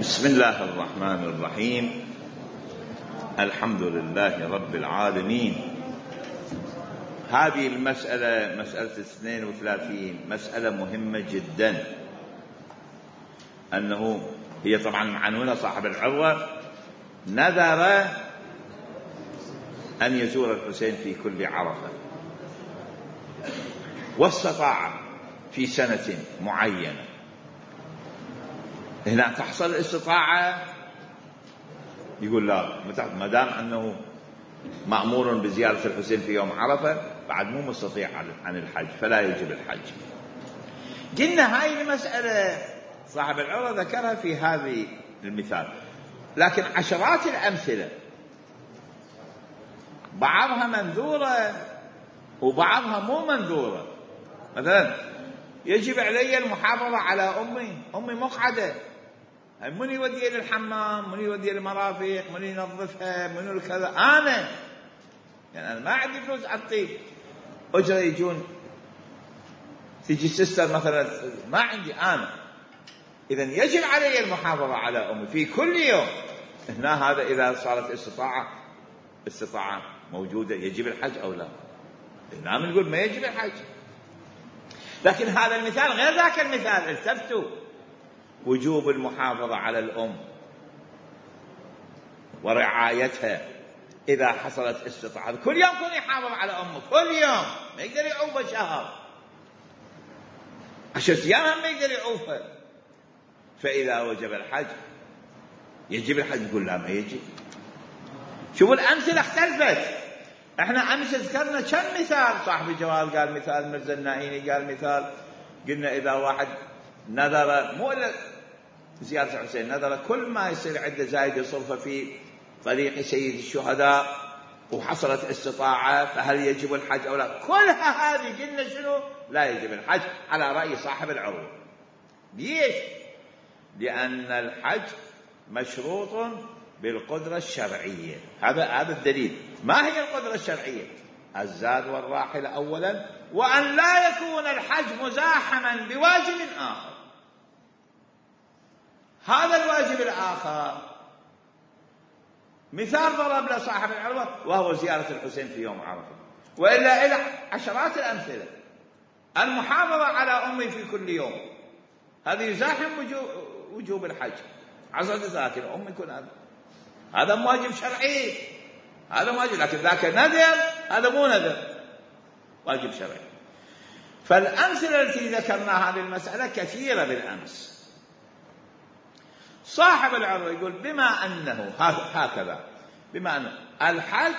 بسم الله الرحمن الرحيم. الحمد لله رب العالمين. هذه المسألة مسألة 32 مسألة مهمة جدا، أنه هي طبعا معنونة صاحب العروة نذر أن يزور الحسين في كل عرفة، واستطاع في سنة معينة. هنا تحصل الاستطاعة، يقول لا، ما دام أنه مأمور بزيارة الحسين في يوم عرفة بعد مو مستطيع عن الحج، فلا يجب الحج. قلنا هاي المسألة صاحب العروة ذكرها في هذه المثال، لكن عشرات الأمثلة بعضها منذورة وبعضها مو منذورة. مثلا يجب علي المحافظة على أمي مقعدة، من يودي للحمام، من يودي للمرافق، من ينظفها، من كذا، أنا يعني أنا ما عندي فلوس أعطي أجرة يجون تيجي سيستر مثلا، ما عندي أنا. إذن يجب علي المحافظة على أمي في كل يوم. هنا هذا إذا صارت استطاعة موجودة، يجب الحج أو لا؟ هنا نقول ما يجب الحج. لكن هذا المثال غير ذاك المثال. التفتوا وجوب المحافظة على الأم ورعايتها إذا حصلت استطاعة. كل يوم كن يحافظ على أمه، كل يوم، ما يقدر يعوفها شهر، 10 أيام ما يقدر يعوفها. فإذا وجب الحج يجب الحج. يقول لا، ما يجب. شوفوا الأمثلة اختلفت. احنا امس ذكرنا كم مثال. صاحب الجوال قال مثال، مرزا النائيني قال مثال. قلنا اذا واحد نذر مو الا زيارة الحسين، نذر كل ما يصير عنده زايد يصرفه في طريق سيد الشهداء وحصلت استطاعة، فهل يجب الحج او لا؟ كلها هذه قلنا شنو؟ لا يجب الحج على رأي صاحب العروة. ليش؟ لأن الحج مشروط بالقدرة الشرعية. هذا الدليل. ما هي القدرة الشرعية؟ الزاد والراحلة أولا، وأن لا يكون الحج مزاحما بواجب آخر. هذا الواجب الآخر مثال ضرب له صاحب العروة، وهو زيارة الحسين في يوم عرفة، وإلا إلى عشرات الأمثلة. المحافظة على أمي في كل يوم، هذا يزاحم وجوب الحج. 10 دساتير أمي يكون هذا واجب شرعي، هذا واجب. لكن ذاك نذر، هذا مو نذر، واجب شرعي. فالأمثلة التي ذكرناها هذه المسألة كثيرة بالأمس. صاحب العروة يقول بما أنه هكذا، بما أن الحج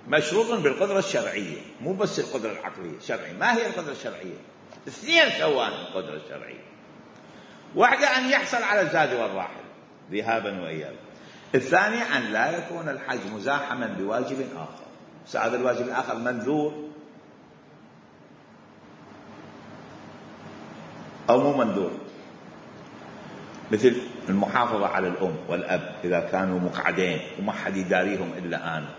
مشروط بالقدرة الشرعية، مو بس القدرة العقلية، شرعية. ما هي القدرة الشرعية؟ 2 سوان القدرة الشرعية. واحدة أن يحصل على الزاد والراحل ذهابا وإيابا. الثانية أن لا يكون الحج مزاحما بواجب آخر. هذا الواجب الآخر منذور أو مو منذور، مثل المحافظة على الأم والأب إذا كانوا مقعدين وما حد يداريهم إلا أنا،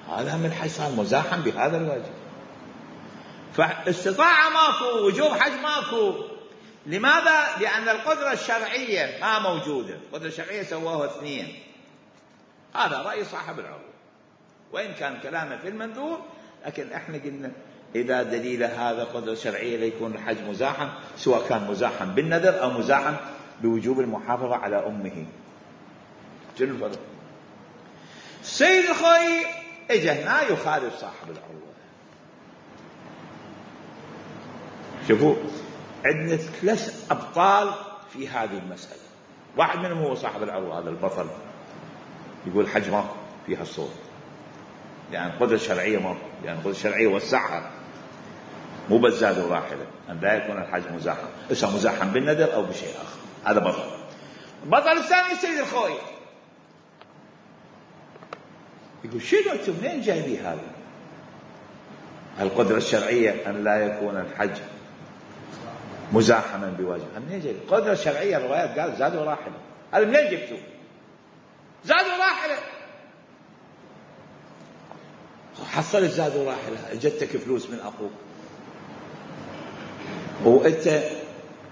هذا من الحج صار مزاحم بهذا الواجب. فاستطاعة ماكو، وجوب حج ماكو. لماذا؟ لأن القدرة الشرعية ما موجودة. القدرة الشرعية سووها 2. هذا رأي صاحب العروة، وإن كان كلامه في المنذور، لكن احنا قلنا إذا دليل هذا قدرة شرعية ليكون الحج مزاحم، سواء كان مزاحم بالنذر أو مزاحم بوجوب المحافظة على أمه. شنو الفرق؟ سيد الخوي اجى هنا يخالف صاحب العروة. شوفوا عندنا 3 أبطال في هذه المسألة. واحد منهم هو صاحب العروة، هذا البطل، يقول الحج ماكو فيها الصوت، يعني القدرة الشرعية ماكو، يعني القدرة الشرعية وسعها، مو بس زاد الراحلة، أن لا يكون الحج مزاحم، إسا مزاحم بالنذر أو بشيء آخر. هذا بطل. البطل الثاني سيد الخوي يقول شنو أنتم منين جايبي هذا؟ القدرة الشرعية أن لا يكون الحج مزاحما بواجب. منين جايبي القدرة الشرعية؟ الروايات قال زاد وراحلة. هذا منين جبتوه؟ زاد وراحلة. حصلت زاد وراحلة، جتك فلوس من أخوك، وأنت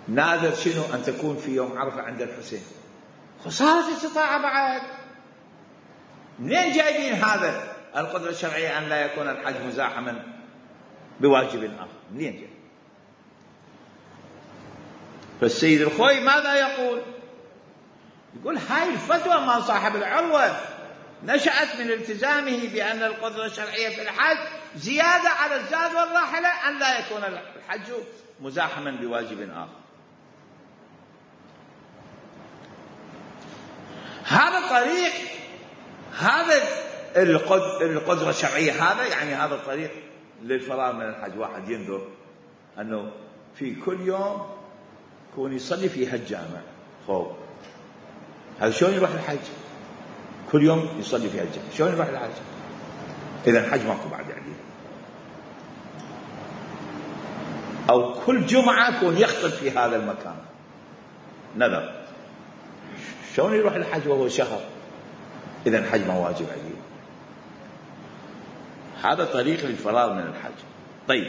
ناذر شنو؟ أن تكون في يوم عرفة عند الحسين. صارت استطاعة بعد. منين جايبين هذا القدرة الشرعية أن لا يكون الحج مزاحما بواجب آخر؟ منين جاي؟ فالسيد الخوي ماذا يقول؟ يقول هاي الفتوى مال صاحب العروة نشأت من التزامه بأن القدرة الشرعية في الحج زيادة على الزاد والراحلة أن لا يكون الحج مزاحما بواجب آخر. هذا طريق، هذا القدرة الشرعية، هذا يعني هذا الطريق للفرار من الحج. واحد ينظر أنه في كل يوم يكون يصلي في هالجامع، خوف هذا شلون يروح الحج؟ كل يوم يصلي في هالجامع شلون يروح الحج؟ إذا الحج ماكو بعد يعني. أو كل جمعة يكون يخطب في هذا المكان، نذر، شلون يروح الحج وهو شهر؟ إذا الحج ما واجب عليه. هذا طريق للفرار من الحج. طيب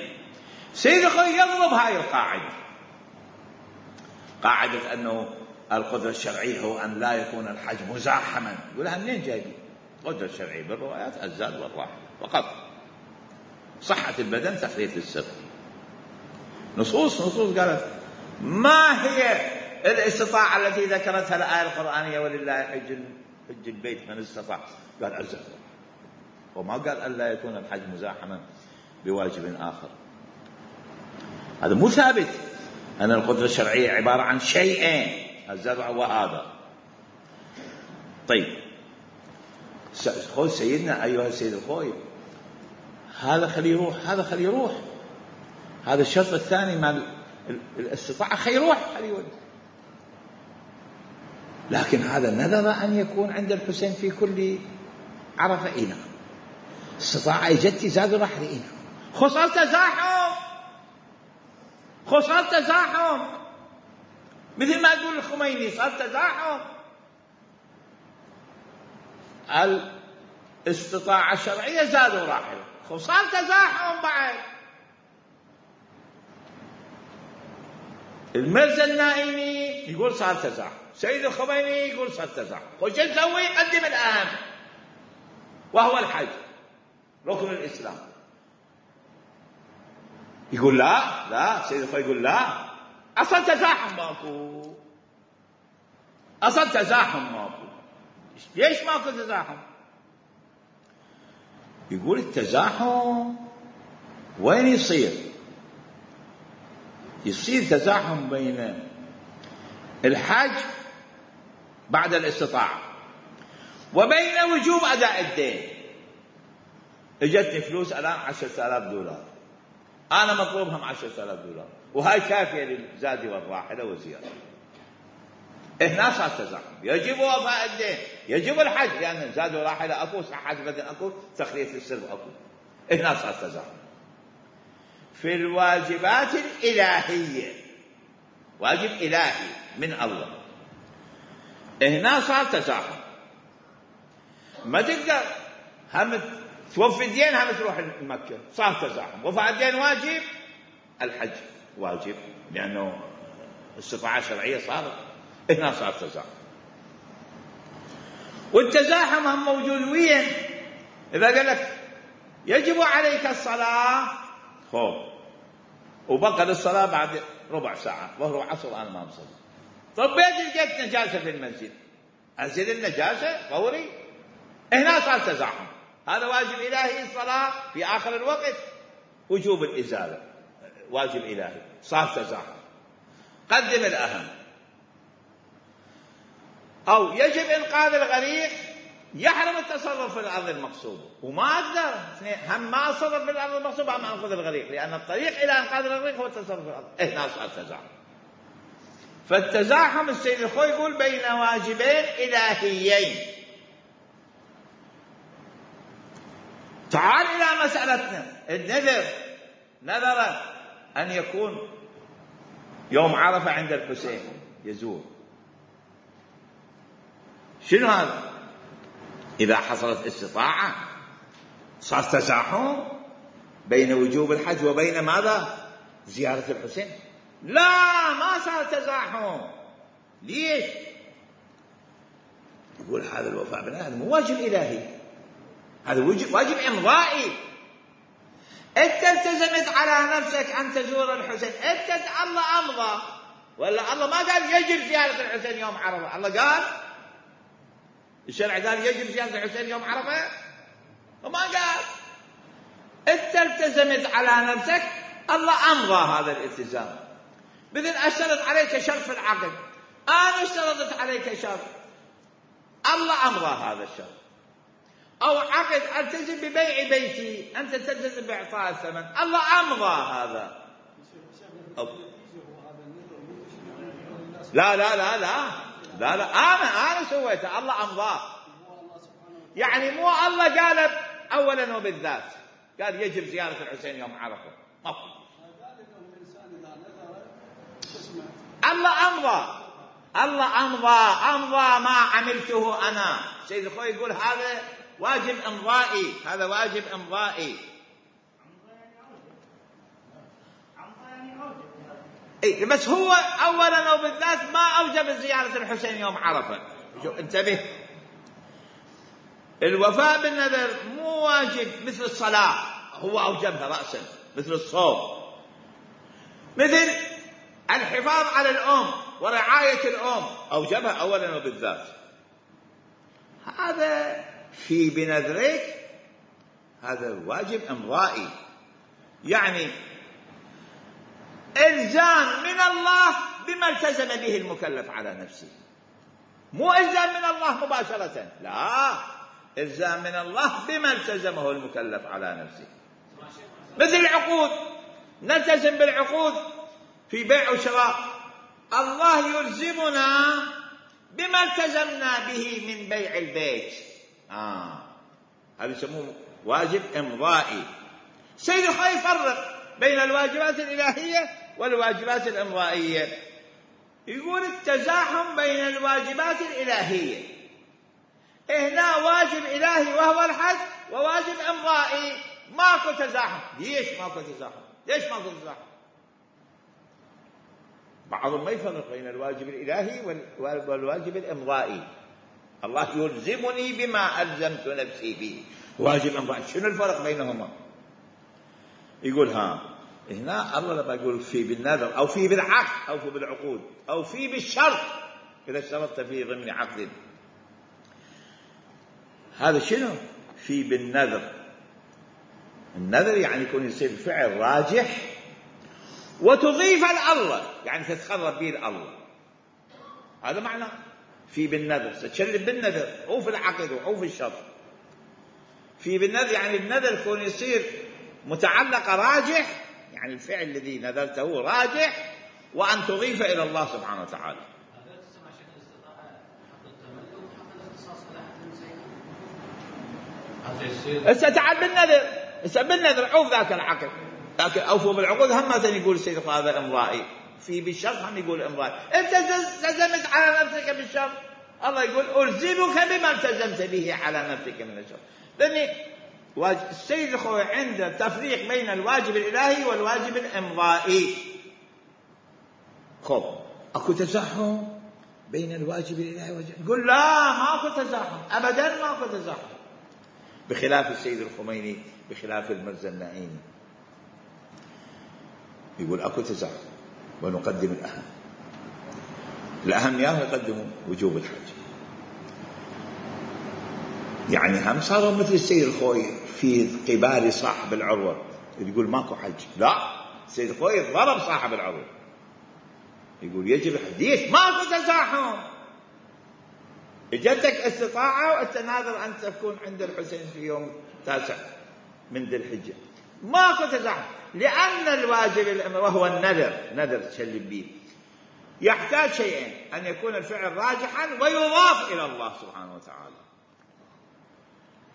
سيد الخوي يضرب هاي القاعدة، قاعدة أنه القدرة الشرعية هو أن لا يكون الحج مزاحما. يقولها منين جايبين؟ القدرة الشرعية بالروايات الزاد والراحة فقط، صحة البدن تخلية السر. نصوص قالت ما هي الاستطاعة التي ذكرتها الآية القرآنية ولله حج البيت من استطاع؟ قال الزاد، وما قال أن لا يكون الحج مزاحما بواجب آخر. هذا مو ثابت أن القدرة الشرعية عبارة عن شيئين، الزرع وهذا. طيب خذ سيدنا أيها السيد الخوي، هذا خليه يروح، هذا خليه يروح، هذا الشرط الثاني مع الاستطاعة خليه يروح، خليه يروح. لكن هذا نذر أن يكون عند الحسين في كل عرفة إينا، استطاعة جدتي زاد راح إينا، خسر تزاحم مثل ما يقول الخميني، صار تزاحم. الاستطاعة الشرعية زادوا راحل، صار تزاحم بعد. المرزا النائمي يقول صار تزاحم، سيد الخميني يقول صار تزاحم. وش نسوي؟ قدم الأهم وهو الحج، ركن الإسلام. يقول لا سيد الخوي يقول لا، أصل تزاحم ماكو. ليش ماكو تزاحم؟ يقول التزاحم وين يصير تزاحم بين الحج بعد الاستطاعة وبين وجوب أداء الدين. اجتني فلوس الآن $10,000، أنا مطلوبهم $10,000، وهاي كافية للزاد والراحلة والزيارة. هنا صار تزاحم، يجب وفاء الدين، يجب الحج، لأن زاد وراحلة أكو، صحة بدن أكو، تخلية السر أكو. هنا صار تزاحم. في الواجبات الإلهية، واجب إلهي من الله، هنا صار تزاحم. ما تقدر هم توفي الدين هم تروح مكة، صار تزاحم. وفاء الدين واجب، الحج واجب، لأنه استطاعة شرعية صارت، هنا صار تزاحم. والتزاحم هم موجود وين؟ إذا قال لك يجب عليك الصلاة، وبقى للصلاة بعد ربع ساعة، ظهر وعصر أنا ما مصلي. طب لقيت نجاسة في المسجد، أزيل النجاسة فوري، هنا صار تزاحم. هذا واجب إلهي، الصلاة في آخر الوقت، وجوب الإزالة واجب إلهي، صار تزاحم. قدم الأهم. أو يجب إنقاذ الغريق، يحرم التصرف في الأرض المقصودة، وما أقدر هم ما أتصرف في الأرض المقصودة هم أنقذ الغريق، لأن الطريق إلى إنقاذ الغريق هو التصرف في الأرض. هنا صار تزاحم. فالتزاحم السيد الخوي يقول بين واجبين إلهيين. تعال إلى مسألتنا النذر. نذر أن يكون يوم عرفة عند الحسين يزور. شنو هذا؟ إذا حصلت استطاعة صار تزاحم بين وجوب الحج وبين ماذا؟ زيارة الحسين. لا، ما صار تزاحم. ليش؟ يقول هذا الوفاء بالنذر مو واجب إلهي، هذا واجب إمضائي. أنت التزمت على نفسك أن تزور الحسين، أنت الله أمضى، ولا الله ما قال يجب زيارة الحسين يوم عرفة؟ الله قال الشرع قال يجب زيارة الحسين يوم عرفة؟ وما قال. أنت التزمت على نفسك، الله أمضى هذا الالتزام. مثل أشترط عليك شرط في العقد، أنا اشترطت عليك شرط، الله أمضى هذا الشرط. أو عقد ألتزم ببيع بيتي، أنت تلتزم بإعطاء الثمن، الله أمضى هذا. لا لا لا لا لا لا أنا سويته، الله أمضاه. يعني مو الله قال أولا وبالذات، قال يجب زيارة الحسين يوم عرفة، الله أمضى، الله أمضى ما عملته أنا. سيد الخوي يقول هذا واجب إمضائي، هذا واجب إمضائي. إيه بس هو أولا وبالذات ما أوجب زيارة الحسين يوم عرفة. انتبه، الوفاء بالنذر مو واجب مثل الصلاة، هو أوجبها رأسا، مثل الصوم، مثل الحفاظ على الأم ورعاية الأم، أوجبها أولا وبالذات. هذا في بنذرك هذا واجب إمضائي، يعني إلزام من الله بما التزم به المكلف على نفسه، مو إلزام من الله مباشرة، لا، إلزام من الله بما التزمه المكلف على نفسه. مثل العقود، نلتزم بالعقود في بيع وشراء، الله يلزمنا بما التزمنا به من بيع البيت، هذا يسموه واجب إمضائي. سيد الخوي يفرق بين الواجبات الإلهية والواجبات الإمضائية، يقول التزاحم بين الواجبات الإلهية، هنا واجب إلهي وهو الحج، وواجب إمضائي، ماكو تزاحم. ليش ماكو تزاحم؟ ليش ماكو تزاحم؟ بعضهم ما يفرق بين الواجب الإلهي والواجب الإمضائي. الله يلزمني بما ألزمت نفسي به، واجب إمضائي، شنو الفرق بينهما؟ يقول هنا الله لما يقول في بالنذر أو في بالعقد أو في بالعقود أو في بالشرط، إذا اشترطت في ضمن عقد، هذا شنو؟ في بالنذر. النذر يعني يكون يصير فعل راجح وتضيف الله، يعني تتقرب به الله، هذا معنى في بالنذر. تتشرب بالنذر أو في العقد أو في الشرط. في بالنذر يعني النذر يكون يصير متعلق راجح، يعني الفعل الذي نذرته راجح، وأن تضيف إلى الله سبحانه وتعالى. استتعال بالنذر عوف ذاك العقد، لكن أوفوا بالعقود هم مثلا يقول السيد هذا إمضائي، في بالشرط هم يقول إمضائي. أنت التزمت على نفسك بالشرط، الله يقول ألزمك بما التزمت به على نفسك من الشرط. لأن السيد الخوي عنده تفريق بين الواجب الإلهي والواجب الإمضائي. خب أكو تزاحم بين الواجب الإلهي والواجب، يقول لا ماكو تزاحم، أبدا ماكو تزاحم، بخلاف السيد الخميني، بخلاف المرزا النعيمي، يقول أكو تزاحم ونقدم الأهم. الأهم يقدموا وجوب الحج، يعني هم صاروا مثل السيد الخوي في قبال صاحب العروة، يقول ماكو حج. لا، السيد الخوي ضرب صاحب العروة، يقول يجب الحج، ماكو تزاحم. اجتك استطاعة وانت ناظر أن تكون عند الحسين في يوم 9 من ذي الحجة، ماكو تزاحم، لأن الواجب وهو النذر تشلب به، يحتاج شيئين: أن يكون الفعل راجحا ويضاف إلى الله سبحانه وتعالى.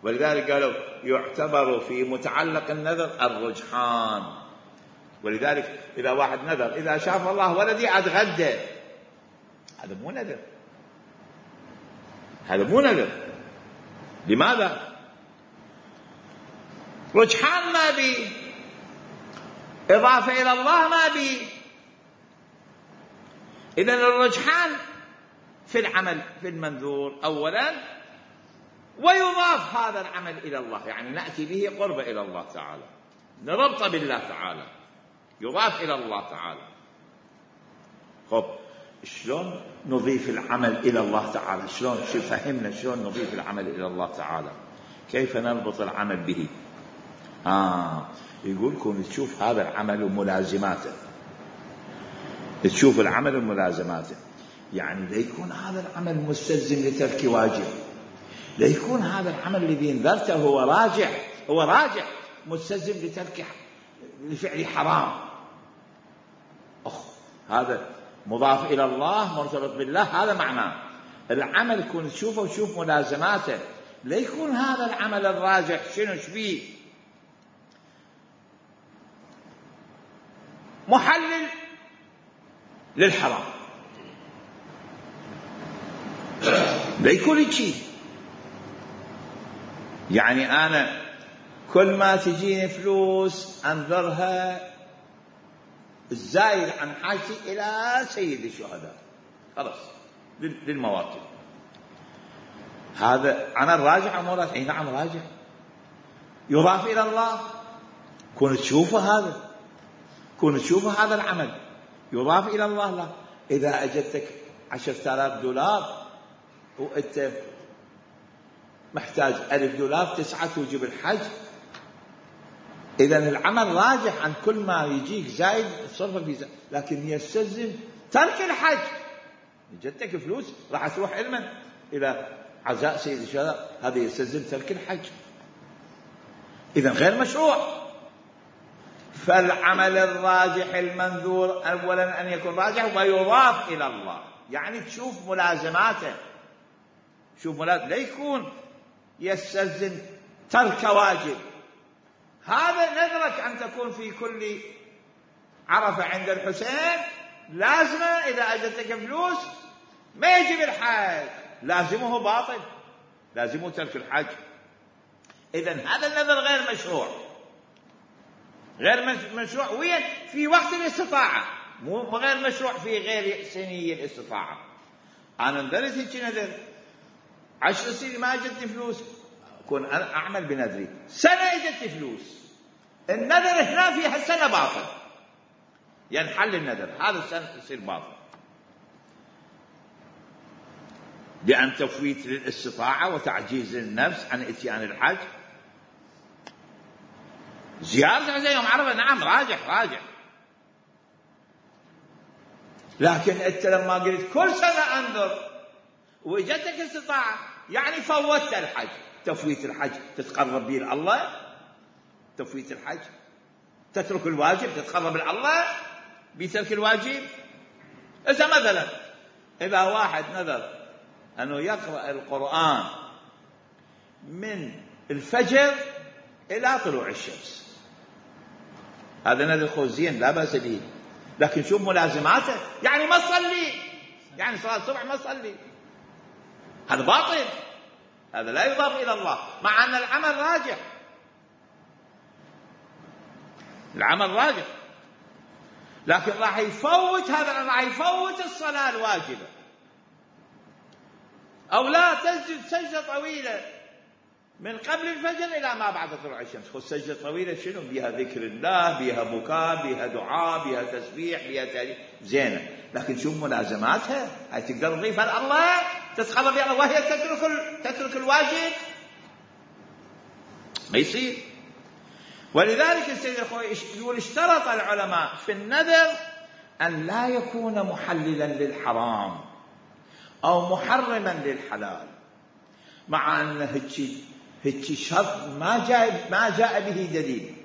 ولذلك قالوا يعتبر في متعلق النذر الرجحان. ولذلك إذا واحد نذر إذا شاف الله ولدي أتغدى، هذا مو نذر، هذا مو نذر. لماذا؟ رجحان ما بي، إضافة إلى الله ما بي. إذن الرجحان في العمل في المنذور أولا، ويضاف هذا العمل إلى الله، يعني نأتي به قرب إلى الله تعالى، نربط بالله تعالى، يضاف إلى الله تعالى. خب شلون نضيف العمل إلى الله تعالى؟ شلون فهمنا شلون نضيف العمل إلى الله تعالى؟ كيف نربط العمل به؟ يقول لكم تشوف هذا العمل وملازماته، تشوف العمل وملازماته، يعني ليكون هذا العمل مستلزم لترك واجب، ليكون هذا العمل الذي انذرته هو راجع مستلزم لترك لفعل حرام. هذا مضاف إلى الله مرتبط بالله، هذا معناه العمل يكون تشوفه وتشوف ملازماته، لا يكون هذا العمل الراجح شنو فيه محلل للحرام، لا يكون شيء. يعني أنا كل ما تجيني فلوس أنذرها الزايد عن حاجتي إلى سيد الشهداء، خلاص للمواطن. هذا أنا الراجع أو راجع؟ أي نعم راجع، يضاف إلى الله. كون تشوفه هذا العمل يضاف إلى الله. لا، إذا أجدتك 10,000 دولار وأنت محتاج $1,000 تسعى توجب الحج، إذن العمل راجح عن كل ما يجيك زايد تصرف في زايد، لكن يستلزم ترك الحج. جدتك فلوس راح تروح علما إلى عزاء سيد الشهداء، هذا يستلزم ترك الحج، إذن غير مشروع. فالعمل الراجح المنذور أولا أن يكون راجح ويضاف إلى الله، يعني تشوف ملازماته، لا يكون يستلزم ترك واجب. هذا نذرك أن تكون في كل عرفة عند الحسين لازمة، إذا أجدتك فلوس ما يجب الحج، لازمه باطل، لازمه ترك الحج. إذن هذا النذر غير مشروع، غير مشروع وين؟ في وقت الاستطاعة، مو غير مشروع في غير سنية الاستطاعة. أنا نذرت هيك نذر 10 سنين ما أجدت فلوس، أكون أنا أعمل بنذري، سنة أجدت فلوس، النذر هنا في هالسنة باطل، ينحل النذر، هذا السنة يصير باطل، لأن تفويت للاستطاعة وتعجيز النفس عن إتيان الحج. زيارة عزاء يوم عرفة نعم راجع، لكن أنت لما قلت كل سنة أنذر وإجتك استطاعة، يعني فوتت الحج. تفويت الحج تتقرب به الله، تفويت الحج تترك الواجب تتقرب إلى الله بترك الواجب. مثلا إذا واحد نذر أنه يقرأ القرآن من الفجر إلى طلوع الشمس، هذا نذر خوزين لا بأس به، لكن شوف ملازماته، يعني ما تصلي، يعني صلاة الصبح ما تصلي، هذا باطل، هذا لا يضاف إلى الله، مع أن العمل راجح، العمل راجح، لكن راح يفوت هذا، راح يفوت الصلاة الواجبة، أو لا تسجد سجدة طويلة من قبل الفجر إلى ما بعد طلوع الشمس. خذ سجدة طويلة شنو بها؟ ذكر الله، بها بكاء، بها دعاء، بها تسبيح، بها تاريخ زينة، لكن شوف ملازماتها، هاي تقدر تضيفها لله تتقرب إلى الله وهي تترك الواجب، ما يصير. ولذلك السيد الخوي يقول اشترط العلماء في النذر أن لا يكون محللا للحرام أو محرما للحلال، مع أن هيك شرط ما جاء به دليل،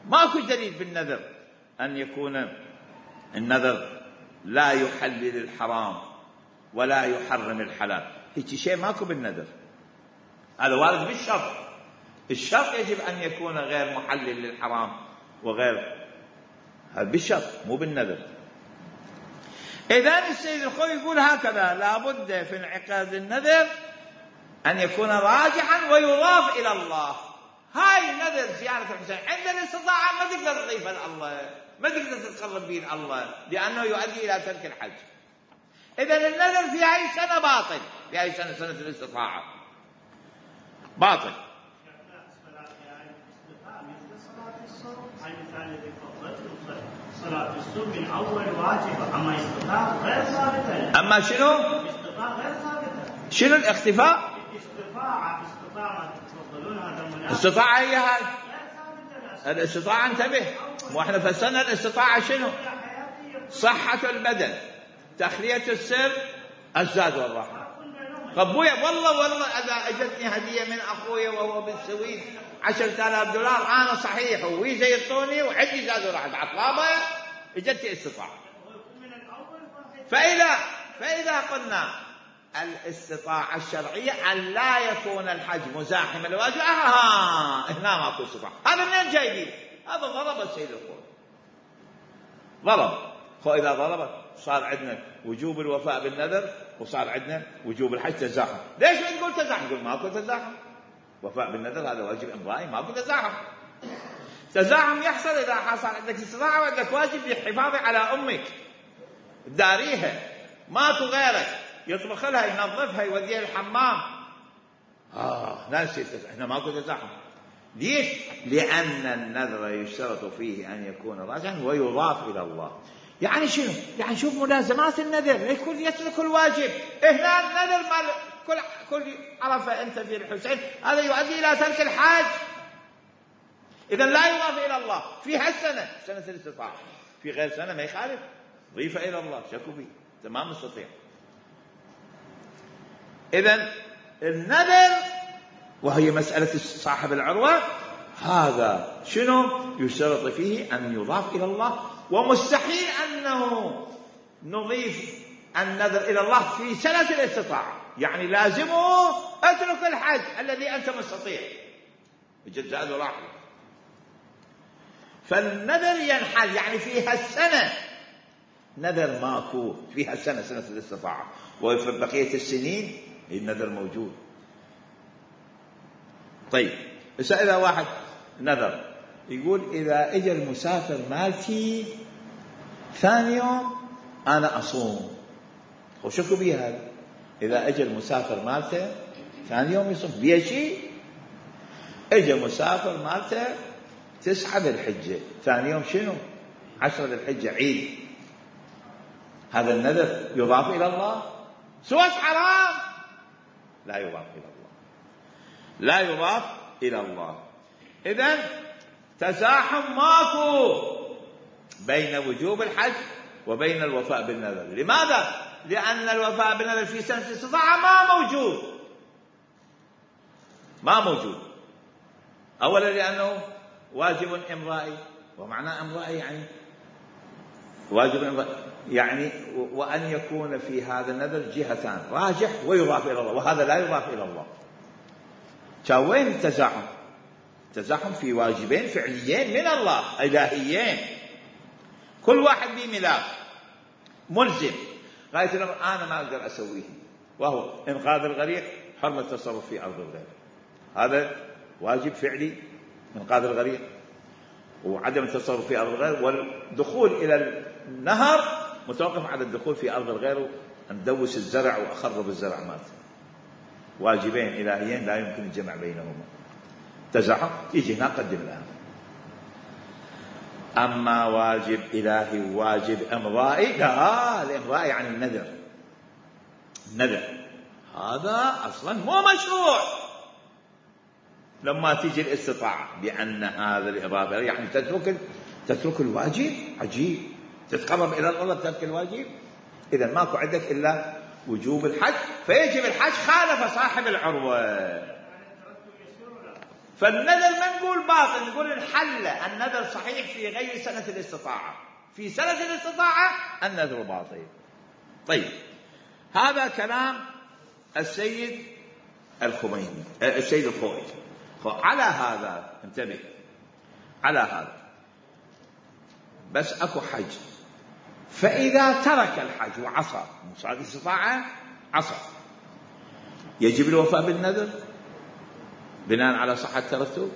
ماكو دليل بالنذر أن يكون النذر لا يحلل الحرام ولا يحرم الحلال، هيك شيء ماكو بالنذر، هذا وارد بالشرط، الشرط يجب أن يكون غير محلل للحرام وغير، هذا بالشرط مو بالنذر. إذن السيد الخوي يقول هكذا: لابد في انعقاد النذر أن يكون راجحا ويضاف إلى الله. هاي نذر زيارة الحسين عند الاستطاعة ما تقدر تضيفها لله، ما تقدر تتقرب به الله، لأنه يؤدي إلى ترك الحج. إذن النذر في هاي السنة باطل، في هاي السنة سنة الاستطاعة باطل. صلاة الصبح من أول واجب، أما الاستطاعة غير ثابتة. أما شنو؟ الاستطاعة غير ثابتة. شنو الاختفاء؟ استطاعة تفضلون هذا المناسب. الاستطاعة هي هاي الاستطاعة. انتبه، واحنا فسرنا الاستطاعة شنو؟ صحة البدن، تخلية السر، الزاد والراحة. ابويا والله اذا اجتني هدية من اخويا وهو بالسويد 10,000 دولار انا صحيح ويزا يعطوني وعندي زاد وراحة عطلابة اجتني استطاعة. فإذا قلنا الاستطاعة الشرعية أن لا يكون الحج مزاحما للواجب، هنا ماكو استطاعة. هذا منين جايبين؟ هذا ضرب السيد الخوي، ضرب. فإذا ضربت صار عندنا وجوب الوفاء بالنذر وصار عندنا وجوب الحج تزاحم. ليش ما تقول تزاحم؟ نقول ماكو تزاحم، وفاء بالنذر هذا واجب امرائي، ماكو تزاحم. تزاحم يحصل إذا حصل عندك استطاعة وعندك واجب بالحفاظ على أمك، داريها، ماكو غيرك يطبخ لها ينظفها يوديها الحمام. ناسي هنا ماكو تزاحم. ليش؟ لأن النذر يشترط فيه أن يكون راجعا ويضاف إلى الله. يعني شنو؟ يعني شوف ملازمات النذر، يكون يترك الواجب. هنا النذر مال كل عرفه أنت في الحسين هذا يؤدي إلى ترك الحج، إذا لا يضاف إلى الله في هالسنة سنة الاستطاعة. في غير سنة ما يخالف، ضيف إلى الله شكو به تمام مستطيع. إذن النذر وهي مسألة صاحب العروة هذا شنو؟ يشترط فيه أن يضاف إلى الله، ومستحيل أنه نضيف النذر إلى الله في سنة الاستطاعة. يعني لازمه اترك الحج الذي أنت مستطيع بجزاء وراحة. فالنذر ينحل يعني في هالسنة نذر ماكو، في هالسنة سنة الاستطاعة، وفي بقية السنين النذر موجود. طيب إذا واحد نذر يقول إذا إجا المسافر مالتي ثاني يوم أنا أصوم، وشكو بيه هذا؟ إذا إجا المسافر مالته ثاني يوم يصوم بيه شيء؟ إجا مسافر مالته 9 ذي الحجة ثاني يوم شنو؟ 10 ذي الحجة عيد، هذا النذر يضاف إلى الله؟ سواء حرام لا يضاف إلى الله، لا يضاف إلى الله. إذن تزاحم ماكو بين وجوب الحج وبين الوفاء بالنذر. لماذا؟ لأن الوفاء بالنذر في سنة الاستطاعة ما موجود. أولا لأنه واجب إمرائي، ومعنى إمرائي يعني واجب إمرائي يعني وأن يكون في هذا النذر جهتان، راجح ويضاف إلى الله، وهذا لا يضاف إلى الله. وين التزاحم؟ تزاحم في واجبين فعليين من الله إلهيين، كل واحد بملاك ملزم غاية الأمر أنا ما أقدر أسويه، وهو إنقاذ الغريق، حرمة التصرف في أرض الغير. هذا واجب فعلي إنقاذ الغريق وعدم التصرف في أرض الغير، والدخول إلى النهر متوقف على الدخول في أرض الغير، أن دوس الزرع وأخرب الزرع مات. واجبين إلهيين لا يمكن الجمع بينهما. تزاحم يجي هنا قدم الآن. أما واجب إلهي وواجب إمرائي، لا، الإمرائي يعني النذر هذا أصلا مو مشروع. لما تيجي الاستطاعة بأن هذا الإضافة يعني تترك الواجب، عجيب، تتقرب إلى الله بترك الواجب. إذا ماكو عندك إلا وجوب الحج، فيجب الحج خالف صاحب العروة. فالنذر ما نقول باطل، نقول انحل النذر صحيح في غير سنة الاستطاعة. في سنة الاستطاعة النذر باطل. طيب هذا كلام السيد الخميني السيد الخوئي. على هذا انتبه، على هذا بس أكو حج، فإذا ترك الحج وعصى صار الاستطاعة عصى، يجب الوفاء بالنذر بناء على صحة الترتب؟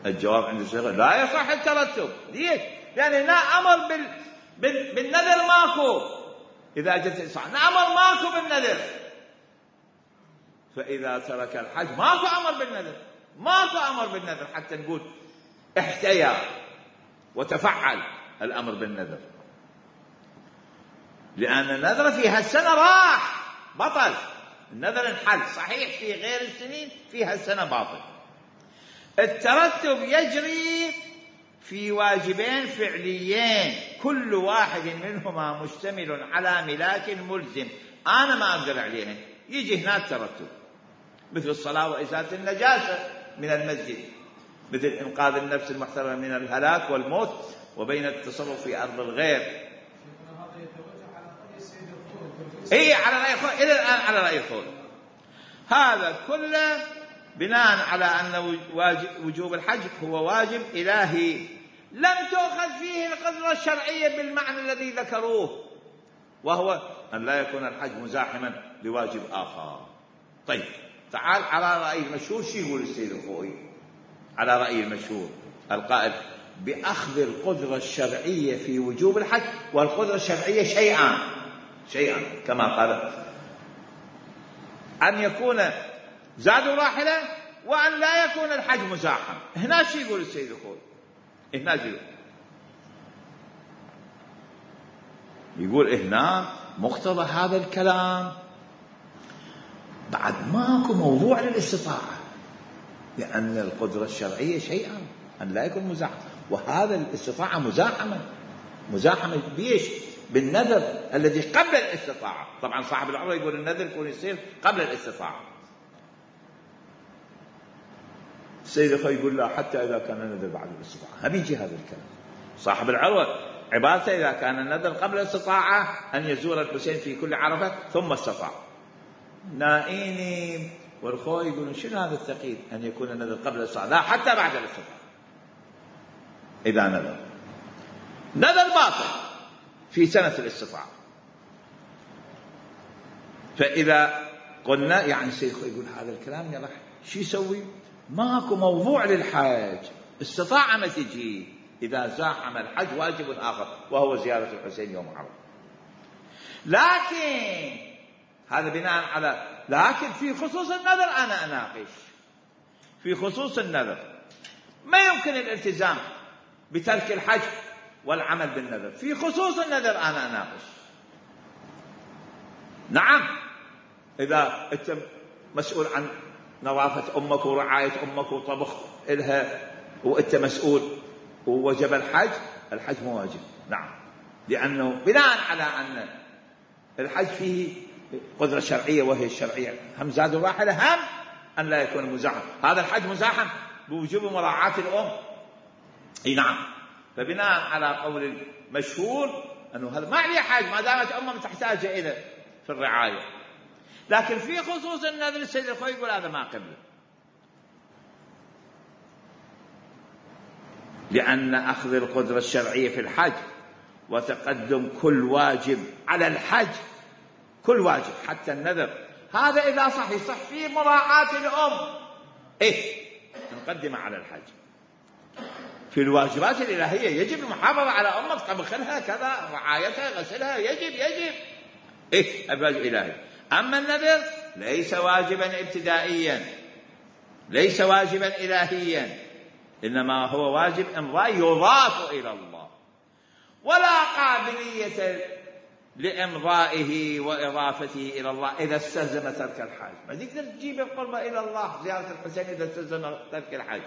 الجواب عند الشيخ لا يصح الترتب. ليش؟ لأن هنا أمر بالنذر ماكو، إذا جت الإستطاعة نأمر ماكو بالنذر. فإذا ترك الحج ماكو أمر بالنذر، ماكو أمر بالنذر حتى نقول احتيا وتفعل الأمر بالنذر، لأن النذر في هالسنة راح بطل، النذر انحل صحيح في غير السنين، في هالسنة باطل. الترتب يجري في واجبين فعليين كل واحد منهما مشتمل على ملاك ملزم أنا ما أقدر عليهن، يجي هنا الترتب، مثل الصلاة وإزالة النجاسة من المسجد، مثل إنقاذ النفس المحترمة من الهلاك والموت، وبين التصرف في أرض الغير. إيه على رأي الخول، إلى الآن على رأي الخول. هذا كله بناء على أن وجوب الحج هو واجب إلهي لم تؤخذ فيه القدرة الشرعية بالمعنى الذي ذكروه، وهو أن لا يكون الحج مزاحما بواجب آخر. طيب تعال على رأي المشهور. شو يقول السيد الخوئي على رأي المشهور القائل بأخذ القدرة الشرعية في وجوب الحج؟ والقدرة الشرعية شيئان كما قال، أن يكون زاد راحلة وأن لا يكون الحج مزاحم. هنا شو يقول السيد الخوئي؟ هنا يقول هنا مقتضى هذا الكلام بعد ماكو موضوع للاستطاعة، لأن القدرة الشرعية شيئا أن لا يكون مزاحم، وهذا الاستطاعة مزاحمة بيش بالنذر الذي قبل الاستطاعة. طبعا صاحب العمرة يقول النذر يكون يصير قبل الاستطاعة. السيد الخوئي يقول لا، حتى إذا كان النذر بعد الاستطاعة. هم يجي هذا الكلام صاحب العروة عبارته إذا كان النذر قبل الاستطاعة أن يزور الحسين في كل عرفة ثم استطاع. نائيني والخوئي يقولون شنو هذا الثقيل أن يكون النذر قبل الاستطاعة؟ لا، حتى بعد الاستطاعة. إذا نذر باطل في سنة الاستطاعة. فإذا قلنا يعني السيد الخوئي يقول هذا الكلام يلا شو يسوي؟ ماكو موضوع للحج، استطاع ما تجي. إذا زاحم الحج واجب آخر وهو زيارة الحسين يوم عرفة. لكن هذا بناء على لكن في خصوص النذر أنا أناقش. في خصوص النذر ما يمكن الالتزام بترك الحج والعمل بالنذر. في خصوص النذر أنا أناقش. نعم، إذا أنت مسؤول عن نظافة أمك ورعاية أمك وطبخ إلها وأنت مسؤول ووجب الحج مو واجب. نعم، لأنه بناء على أن الحج فيه قدرة شرعية وهي الشرعية، هم زاد الراحلة هم أن لا يكون مزاحم. هذا الحج مزاحم بوجوب مراعاة الأم. أي نعم. فبناء على قول المشهور أنه هذا ما عليه حاج ما دامت أمه تحتاج إلى في الرعاية. لكن في خصوص النذر السيد الخوئي يقول هذا ما قبله، لأن أخذ القدرة الشرعية في الحج وتقدم كل واجب على الحج، كل واجب حتى النذر، هذا إذا صح في مراعاة الأم نقدم على الحج. في الواجبات الإلهية يجب المحافظة على أمك، طبخلها كذا، رعايتها، غسلها، يجب الواجب الإلهي. أما النذر ليس واجبا ابتدائيا، ليس واجبا إلهيا، إنما هو واجب إمضاء يضاف إلى الله، ولا قابلية لإمضائه وإضافته إلى الله إذا استلزم ترك الحج. ما تقدر تجيب القربة إلى الله زيارة الحسين إذا استلزم ترك الحج،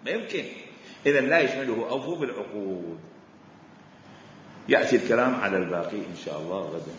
ما يمكن. إذا لا يشمله. أوفوا بالعقود. يأتي الكلام على الباقي إن شاء الله غدا.